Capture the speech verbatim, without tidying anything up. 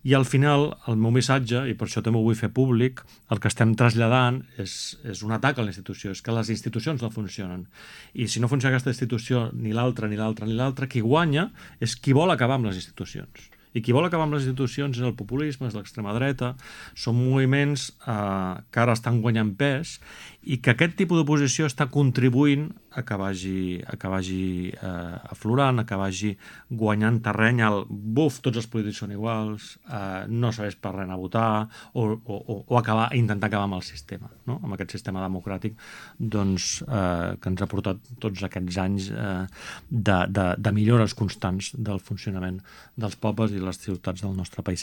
I al final, el meu missatge, i per això també ho vull fer públic, el que estem traslladant és, és un atac a la institució, és que les institucions no funcionen. I si no funciona aquesta institució, ni l'altra, ni l'altra, ni l'altra, qui guanya és qui vol acabar amb les institucions. I qui vol acabar amb les institucions és el populisme, és l'extrema dreta, són moviments eh, que ara estan guanyant pes i que aquest tipus d'oposició està contribuint a que vagi, a que vagi eh, aflorant, a que vagi guanyant terreny al buf, tots els polítics són iguals, eh, no serveix per res a votar, o, o, o acabar, intentar acabar amb el sistema, no? Amb aquest sistema democràtic doncs, eh, que ens ha portat tots aquests anys eh, de, de, de millores constants del funcionament dels pobles i les ciutats del nostre país.